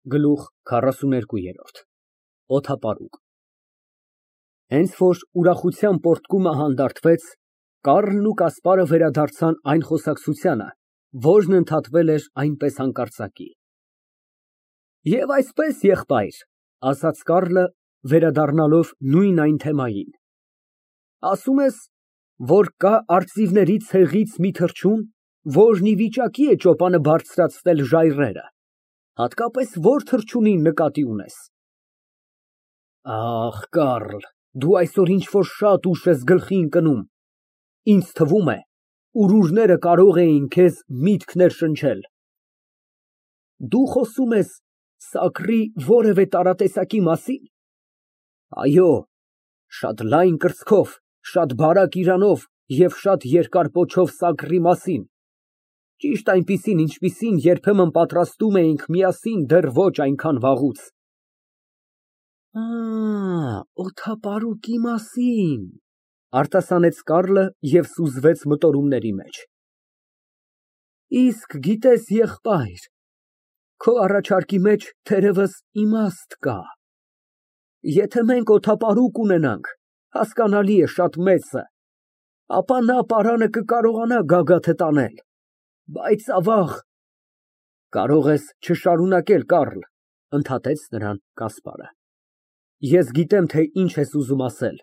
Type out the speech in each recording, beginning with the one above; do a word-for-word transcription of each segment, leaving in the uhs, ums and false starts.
Գլուխ քառասուներկու ՕԹԱՊԱՐՈՒԿ Հենց որ ուրախության պոռթկումը հանդարտվեց, Կառլն ու Կասպարը վերադարձան այն խոսակցությանը, որն ընդհատվել էր այնպես հանկարծակի։ Եվ այսպես, եղբայր, ասաց Կառլը, վերադառնալով նույն այն թեմային, ասում ես, որ կա արծիվների ցեղից մի թռչուն, որն ի վիճակի է ճոպանը բարձրացնել ժայռերը, հատկապես ո՞ր թռչունին նկատի ունես։ Ախ, Կառլ, դու այսօր ինչ֊որ շատ ուշ ես գլխի ընկնում, ինձ թվում է, ուրուրները կարող էին քեզ միտքներ շնչել։ Դու խոսում ես սակրի որևէ տարատեսակի մասի՞ն։ Այո, շատ լայն կրծքով, շատ բարակ իրանով և շատ երկար պոչով սակրի մասին, ճիշտ այնպիսին, ինչպիսին երբեմն պատրաստում էինք միասին դեռ ոչ այնքան վաղուց։ Ա, օդապարուկի մասին, արտասանեց Կառլը և սուզվեց մտորումների մեջ։ Իսկ գիտես, եղբայր, քո առաջարկի մեջ թերևս իմաստ կա։ Եթե մենք օդապարուկ ունենանք, հասկանալի է, շատ մեծը, ապա նա պարանը կկարողանա գագաթը տանել, բայց ավաղ… Կարող ես չշարունակել, Կառլ, ընդհատեց նրան Կասպարը։ Ես գիտեմ, թե ինչ ես ուզում ասել,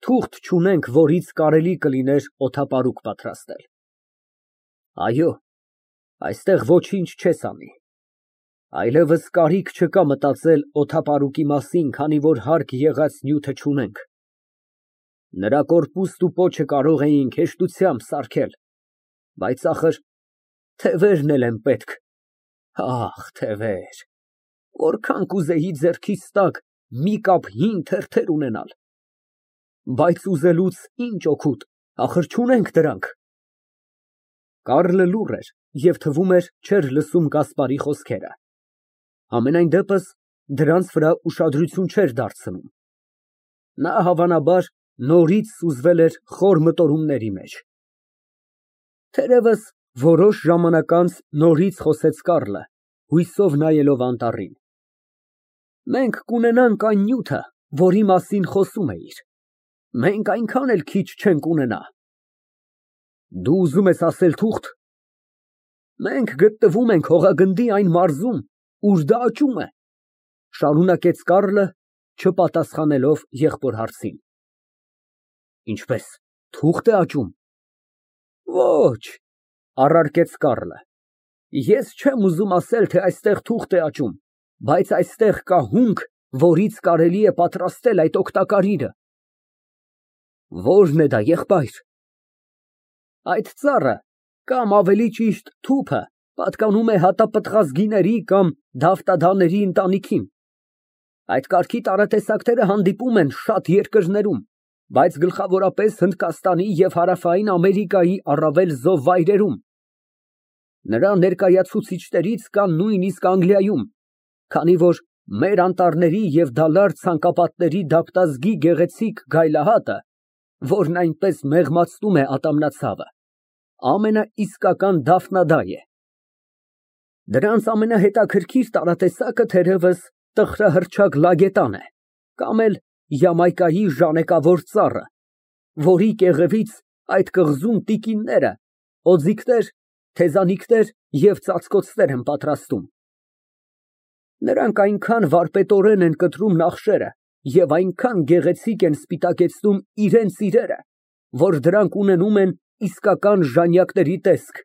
թուղթ չունենք, որից կարելի կլիներ օդապարուկ պատրաստել։ Այո, այստեղ ոչինչ չես անի, այլևս կարիք չկա մտածել օդապարուկի մասին, քանի որ հարկ եղած նյութը չունենք։ Նրա կորպուստ ու պոչը կարող էինք հեշտությամբ սարքել, բայց ախր թևերն էլ են պետք, ախ, թևեր, որքան կուզեի ձեռքիս տակ մի կապ հին թերթեր ունենալ, բայց ուզելուց ինչ օգուտ, ախր չունենք դրանք։ Կառլը լուռ էր և թվում էր չէր լսում Կասպարի խոսքերը, համենայն դեպս դրանց վրա ուշադրություն չէր դարձնում։ Նա, հավանաբար, նորից սուզվել էր խոր մտորումների մեջ։ Թերևս որոշ ժամանակ անց նորից խոսեց Կառլը, հույսով նայելով անտառին։ Մենք կունենանք այն նյութը, որի մասին խոսում էիր, մենք այնքան էլ քիչ չենք ունենա։ Դու ուզում ես ասել թուղթ։ Մենք գտնվում ենք հողագնդի այն մարզում, ուր դա աճում է, շարունակեց Կառլը, չպատասխանելով եղբոր հարցին։ Ինչպես, թուղթ է աճում։ Ոչ, առարկեց Կառլը, ես չեմ ուզում ասել, թե այստեղ թուղթ է աճում, բայց այստեղ կա հունք, որից կարելի է պատրաստել այդ օգտակար իրը։ Ո՞րն է դա, եղբայր։ Այդ ծառը, կամ ավելի ճիշտ թուփը, պատկանում է հատապտղազգիների կամ դավտադաների ընտանիքին։ Այդ կարգի տարատեսակները հանդիպում են շատ երկրներում, բայց գլխավորապես Հնդկաստանի և Հարավային Ամերիկայի առավել զով վայրերում։ Նրա ներկայացուցիչներից կան նույնիսկ Անգլիայում, քանի որ մեր անտառների և դալար ցանկապատների դափտազգի գեղեցիկ գայլահատը, որն այնպես մեղմացնում է ատամնացավը, ամենաիսկական դափնադայ է։ Դրանց ամենահետաքրքիր տարատեսակը թերևս տխրահռչակ լագետան է, կամ էլ Յամայկայի ժանեկավոր ծառը, որի կեղևից այդ կղզում տիկինները օձիքներ, թեզանիքներ և ծածկոցներ են պատրաստում։ Նրանք այնքան վարպետորեն են կտրում նախշերը և այնքան գեղեցիկ են սպիտակեցնում իրենց իրերը, որ դրանք ունենում են իսկական ժանյակների տեսք։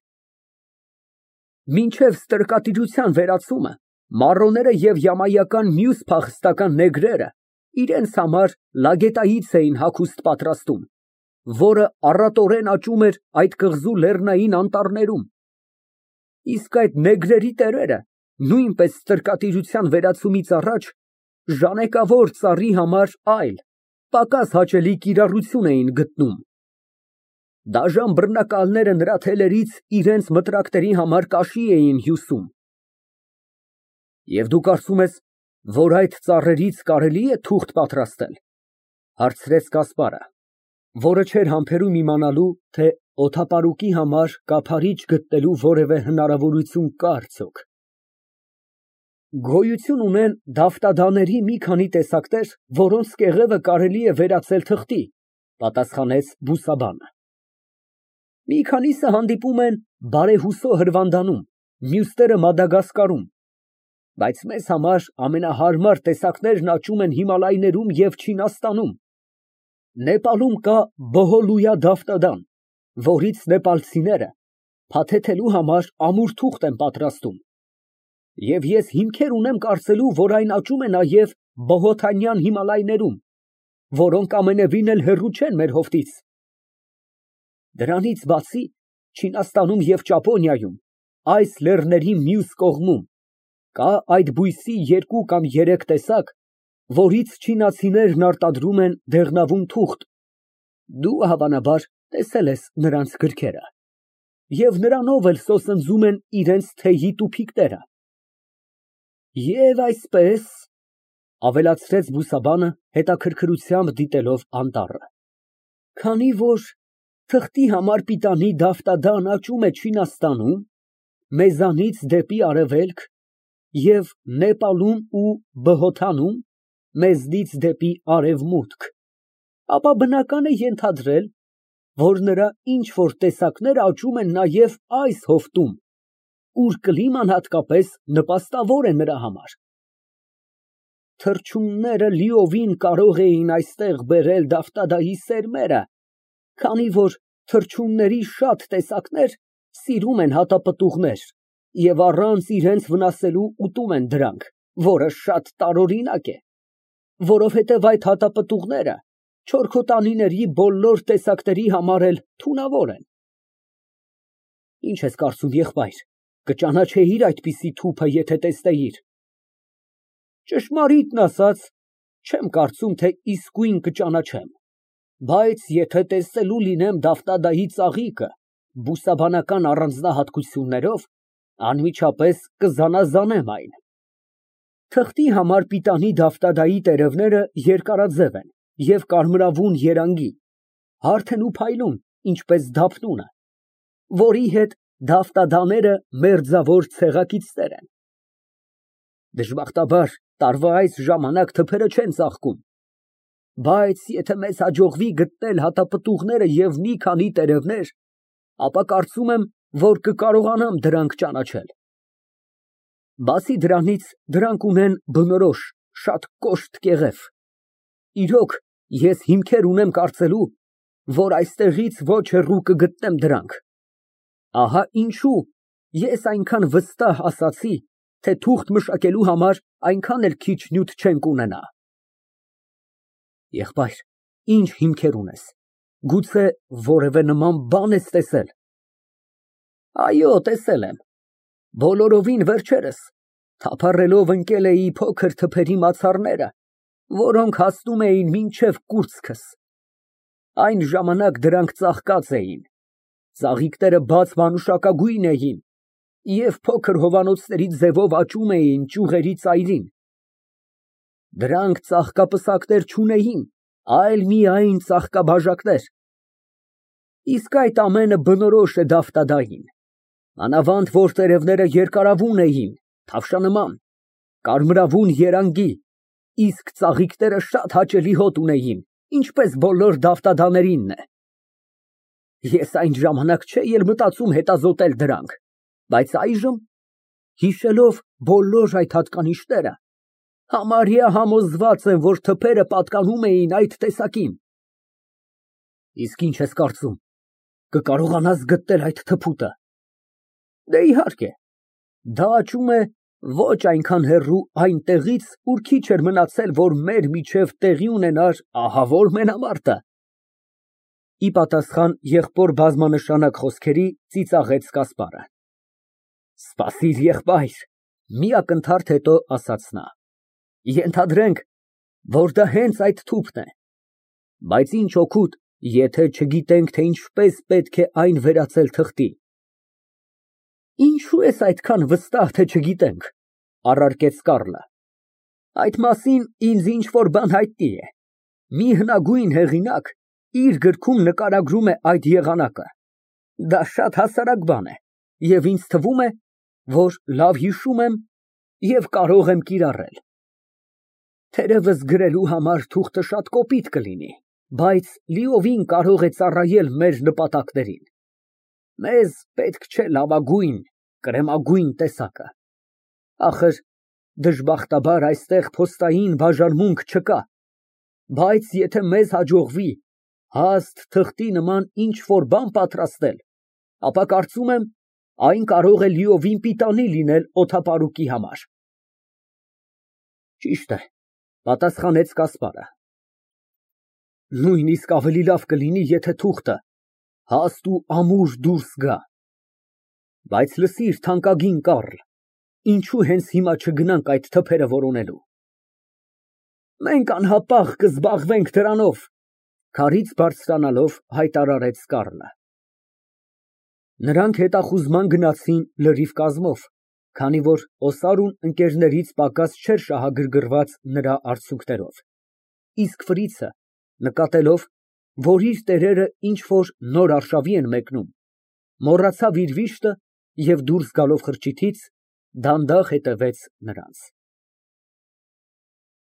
Մինչև ստրկատիրության վերացումը մառոները և յամայական մյուս փախստական նեգրերը իրենց համար լագետայից էին հագուստ պատրաստում, որը առատորեն աճում էր այդ կղզու լեռնային անտառներում։ Իսկ այդ նեգրերի տերերը նույնպես ստրկատիրության վերացումից առաջ ժանեկավոր ծառի համար այլ, պակաս հաճելի կիրառություն էին գտնում։ Դաժան բռնակալները նրա թելերից իրենց մտրակների համար կաշի էին հյուսում։ Եվ դու կարծում ես, որ այդ ծառերից կարելի է թուղթ պատրաստել, հարցրեց Կասպարը, որը չէր համբերում իմանալու, թե օդապարուկի համար կափարիչ գտնելու որևէ հնարավորություն կա արդյոք։ Գոյություն ունեն դավտադաների մի քանի տեսակներ, որոնց կեղևը կարելի է վերածել թղթի, պատասխանեց բուսաբանը։ Մի քանիսը հանդիպում են Բարեհուսո հրվանդանում, մյուսները Մադագասկարում, բայց մեզ համար ամենահարմար տեսակներն աճում են Հիմալայներում և Չինաստանում։ Նեպալում կա Բոհոլույա դավտադան, որից նեպալցիները փաթեթելու համար ամուր թուղթ են պատրաստում, և ես հիմքեր ունեմ կարծելու, որ այն աճում է նաև Բոհոթանյան Հիմալայներում, որոնք ամենևին էլ հեռու չեն մեր հովտից։ Դրանից բացի, Չինաստանում և Ճապոնիայում, այս լեռների մյուս կողմում, կա այդ բույսի երկու կամ երեք տեսակ, որից չինացիներն արտադրում են դեղնավուն թուղթ, դու հավանաբար տեսել ես նրանց գրքերը, և նրանով էլ սոսնձում են իրենց թեյի տուփիկները։ Եվ այսպես, ավելացրեց բուսաբանը, հետաքրքրությամբ դիտելով անտառը, քանի որ թղթի համար պիտանի դավտադան աճում է Չինաստանում, մեզանից դեպի արևելք, և Նեպալում ու Բհոթանում, մեզնից դեպի արևմուտք, ապա բնական է ենթադրել, որ նրա ինչ֊որ տեսակներ աճում են նաև այս հովտում, ուր կլիման հատկապես նպաստավոր է նրա համար։ Թռչունները լիովին կարող էին այստեղ բերել դավտադայի սերմերը, քանի որ թռչունների շատ տեսակներ սիրում են հատապտուղներ և առանց իրենց վնասելու ուտում են դրանք, որը շատ տարօրինակ է, որովհետև այդ հատապտուղները չորքոտանիների բոլոր տեսակների համար էլ թունավոր են։ Ինչ ես կարծում, եղբայր, կճանաչեի՞ր այդպիսի թուփը, եթե տեսնեիր։ Ճշմարիտն ասած, չեմ կարծում, թե իսկույն կճանաչեմ, բայց եթե տեսնելու լինեմ դավտադայի ծաղիկը բուսաբանական առանձնահատկություններով, անմիջապես կզանազանեմ այն։ Թղթի համար պիտանի դավտադայի տերևները երկարաձև են և կարմրավուն երանգի, հարթ են ու փայլուն, ինչպես դափնունը, որի հետ դավտադաները մերձավոր ցեղակիցներ են։ Դժբախտաբար, տարվա այս ժամանակ թփերը չեն ծաղկում, բայց եթե մեզ հաջողվի գտնել հատապտուղները և մի քանի տերևներ, ապա կարծում եմ, որ կկարողանամ դրանք ճանաչել։ Բացի դրանից, դրանք ունեն բնորոշ, շատ կոշտ կեղև։ Իրոք, ես հիմքեր ունեմ կարծելու, որ այստեղից ոչ հեռու կգտնեմ դրանք։ Ահա ինչու ես այնքան վստահ ասացի, թե թուղթ մշակելու համար այնքան էլ քիչ նյութ չենք ունենա։ Եղբայր, ի՞նչ հիմքեր ունես, գուցե որևէ նման բան ես տեսել։ Այո, տեսել եմ, բոլորովին վերջերս, թափառելով ընկել էի փոքր թփերի մացառները, որոնք հասնում էին մինչև կուրծքս։ Այն ժամանակ դրանք ծաղկած էին, ծաղիկները բաց մանուշակագույն էին և փոքր հովանոցների ձևով աճում էին ճյուղերի ծայրին։ Դրանք ծաղկապսակներ չունեին, այլ միայն ծաղկաբաժակներ։ Իսկ այդ ամենը բնորոշ է դավտադային, մանավանդ որ տերևները երկարավուն էին, թավշանման, կարմրավուն երանգի, իսկ ծաղիկները շատ հաճելի հոտ ունեին, ինչպես բոլոր դավտադաներինն է։ Ես այն ժամանակ չէի էլ մտածում հետազոտել դրանք, բայց այժմ, հիշելով բոլոր այդ հատկանիշները, համարյա համոզված եմ, որ թփերը պատկանում էին այդ տեսակին։ Իսկ ինչ ես կարծում, կկարողանա՞ս գտնել այդ թփուտը։ Դե, իհարկե, դա աճում է ոչ այնքան հեռու այնտեղից, ուր քիչ էր մնացել, որ մեր միջև տեղի ունենար ահավոր մենամարտը։ Ի պատասխան եղբոր բազմանշանակ խոսքերի ծիծաղեց Կասպարը։ Սպասիր, եղբայր, մի ակնթարթ հետո ասաց նա, ենթադրենք, որ դա հենց այդ թուփն է, բայց ինչ օգուտ, եթե չգիտենք, թե ինչպես պետք է այն վերածել թղթի։ Ինչո՞ւ ես այդքան վստահ, թե չգիտենք, առարկեց Կառլը։ Այդ մասին ինձ ինչ֊որ բան հայտնի է։ Մի հնագույն հեղինակ իր գրքում նկարագրում է այդ եղանակը։ Դա շատ հասարակ բան է, և ինձ թվում է, որ լավ հիշում եմ, և կարող եմ կիրառել։ Թերևս գրելու համար թուղթը շատ կոպիտ կլինի, բայց լիովին կարող է ծառայել մեր նպատակներին։ Մեզ պետք չէ լավագույն, կրեմագույն տեսակը։ Դժբախտաբար այստեղ փոստային բաժանմունք չկա, բայց եթե մեզ հաջողվի հաստ թղթի նման ինչ֊որ բան պատրաստել, ապա կարծում եմ, այն կարող է լիովին պիտանի լինել օդապարուկի համար։ Ճիշտ է, պատասխանեց Կասպարը։ Նույնիսկ ավելի լավ կլինի, եթե թուղթը հաստ ու ամուր դուրս գա։ Բայց լսիր, թանկագին Կառլ, ինչո՞ւ հենց հիմա չգնանք այդ թփերը որոնելու։ Մենք անհապաղ կզբաղվենք դրանով, քարից բարձրանալով հայտարարեց Կառլը։ Նրանք հետախուզման գնացին լրիվ կազմով, քանի որ օսարուն ընկերներից պակաս չէր շահագրգռված նրա արդյունքներով, իսկ Ֆրիցը, նկատելով, որ իր տերերը ինչ֊որ նոր արշավի են մեկնում, մոռացավ իր վիշտը և դուրս գալով խրճիթից, դանդաղ հետևեց նրանց։